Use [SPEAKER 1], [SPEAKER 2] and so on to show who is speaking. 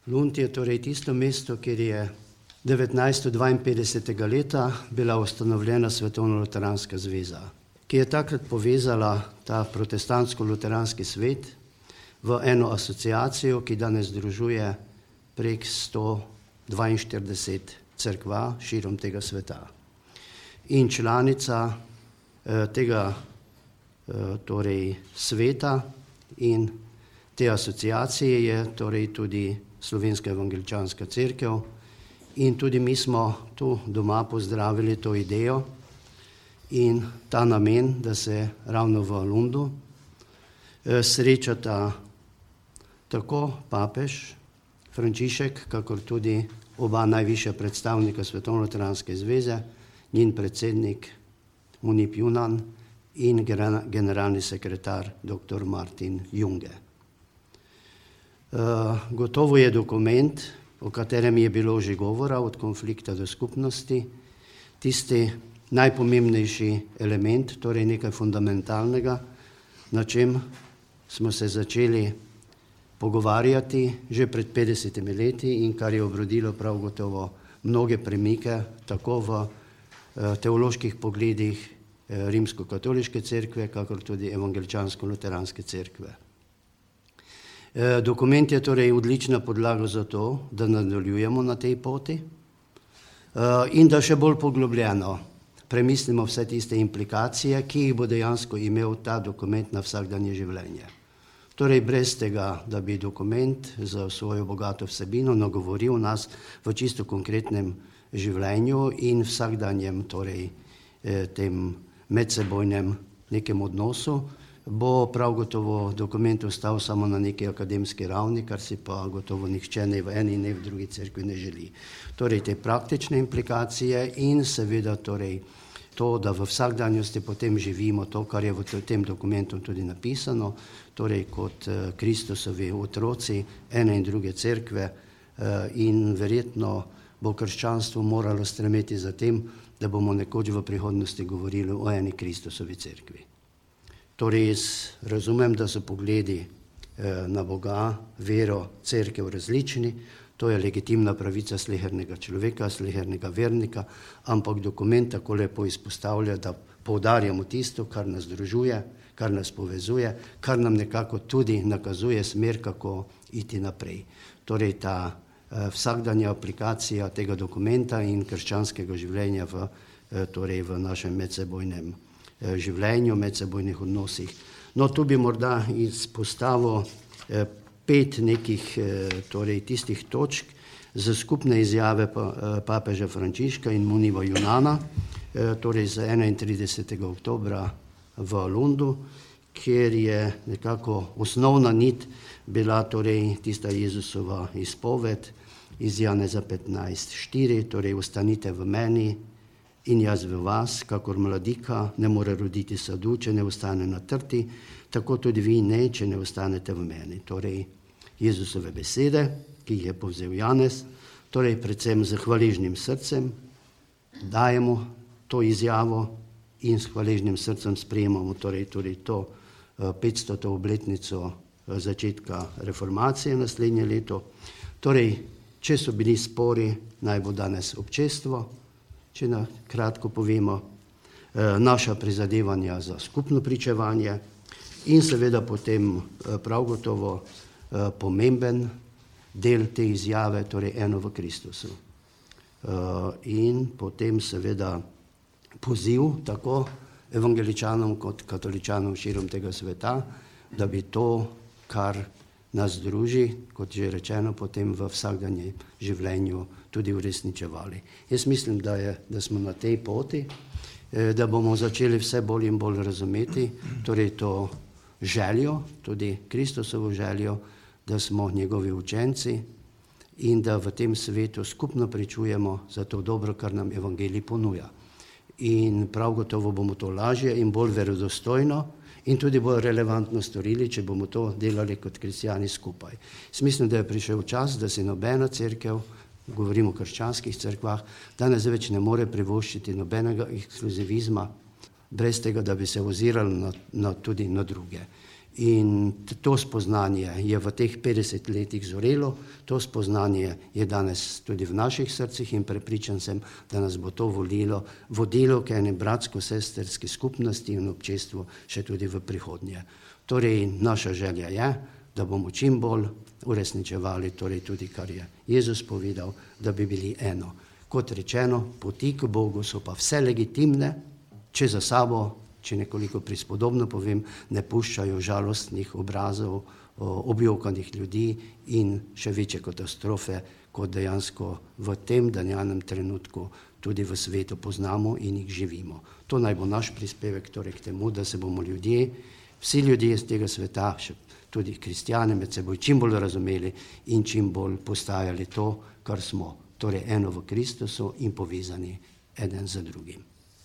[SPEAKER 1] Lund je torej tisto mesto, kjer je 1952. leta bila ustanovljena Svetovno-luteranska zveza, ki je takrat povezala ta protestantsko-luteranski svet v eno asociacijo, ki danes združuje prek 142 cerkva širom tega sveta. In članica tega torej sveta in te asociacije je torej tudi Slovenska evangeličanska cerkev in tudi mi smo tu doma pozdravili to idejo in ta namen, da se ravno v Lundu srečata tako papež Frančišek, kakor tudi oba najvišja predstavnika Svetovno-luteranske zveze, njen predsednik Munip Junan in generalni sekretar dr. Martin Junge. Gotovo je dokument, o katerem je bilo že govora, od konflikta do skupnosti, tisti najpomembnejši element, torej nekaj fundamentalnega, na čem smo se začeli pogovarjati že pred 50 leti in kar je obrodilo prav gotovo mnoge premike, tako v teoloških pogledih rimsko-katoliške cerkve, kakor tudi evangeličansko-luteranske cerkve. Dokument je torej odlična podlaga za to, da nadaljujemo na tej poti in da še bolj poglobljeno premislimo vse tiste implikacije, ki jih bo dejansko imel ta dokument na vsakdanje življenje. Torej brez tega, da bi dokument za svojo bogato vsebino nagovoril nas v čisto konkretnem življenju in vsakdanjem torej tem medsebojnem nekem odnosu, bo prav gotovo dokument ostal samo na neki akademski ravni, kar si pa gotovo nihče ne v eni, ne v drugi cerkvi ne želi. Torej te praktične implikacije in seveda torej to, da v vsakdanjosti potem živimo to, kar je v tem dokumentu tudi napisano, torej kot Kristusovi otroci ene in druge cerkve in verjetno bo krščanstvo moralo stremeti za tem, da bomo nekoč v prihodnosti govorili o eni Kristusovi cerkvi. Torej jaz razumem, da so pogledi na Boga, vero, cerkev različni, to je legitimna pravica slehernega človeka, slehernega vernika, ampak dokument tako lepo izpostavlja, da poudarjamo tisto, kar nas združuje, kar nas povezuje, kar nam nekako tudi nakazuje smer, kako iti naprej. Torej ta vsakdanja aplikacija tega dokumenta in krščanskega življenja v našem medsebojnem življenju, medsebojnih odnosih. No, tu bi morda izpostavil 5 nekih torej tistih točk za skupne izjave papeža Frančiška in Muniva Junana, torej z 31. oktobra v Lundu, kjer je nekako osnovna nit bila torej tista Jezusova izpoved iz Janeza 15:4, torej ostanite v meni in jaz v vas, kakor mladika ne more roditi sadu, če ne ostane na trti, tako tudi vi ne, če ne ostanete v meni. Torej Jezusove besede, ki jih je povzel Janez, torej predvsem z hvaležnim srcem dajemo to izjavo in s hvaležnim srcem sprejemamo torej to 500. obletnico začetka reformacije naslednje leto. Torej, če so bili spori, naj bo danes občestvo, če na kratko povemo, naša prizadevanja za skupno pričevanje in seveda potem prav gotovo pomemben del te izjave, torej eno v Kristusu. In potem seveda poziv tako evangeličanom kot katoličanom širom tega sveta, da bi to, kar nas druži, kot že rečeno, potem v vsakdanjem življenju tudi uresničevali. Jaz mislim, da smo na tej poti, da bomo začeli vse bolj in bolj razumeti, torej to željo, tudi Kristusovo željo, da smo njegovi učenci in da v tem svetu skupno pričujemo za to dobro, kar nam evangelij ponuja. In prav gotovo bomo to lažje in bolj verodostojno in tudi bolj relevantno storili, če bomo to delali kot kristjani skupaj. Mislim, da je prišel čas, da se nobena cerkev, govorimo o krščanskih cerkvah, danes več ne more privoščiti nobenega ekskluzivizma, brez tega, da bi se ozirali tudi na druge. In to spoznanje je v teh 50 letih zorelo, to spoznanje je danes tudi v naših srcih in prepričan sem, da nas bo to vodilo k eni bratsko-sesterski skupnosti in občestvu še tudi v prihodnje. Torej, naša želja je, da bomo čim bolj uresničevali torej tudi, kar je Jezus povedal, da bi bili eno. Kot rečeno, poti k Bogu so pa vse legitimne, če za sabo, če nekoliko prispodobno povem, ne puščajo žalostnih obrazov, objokanih ljudi in še večje katastrofe, kot dejansko v tem danjanem trenutku tudi v svetu poznamo in jih živimo. To naj bo naš prispevek torej k temu, da se bomo vsi ljudje iz tega sveta, tudi kristjane med seboj, čim bolj razumeli in čim bolj postajali to, kar smo, torej eno v Kristusu in povezani eden z drugim.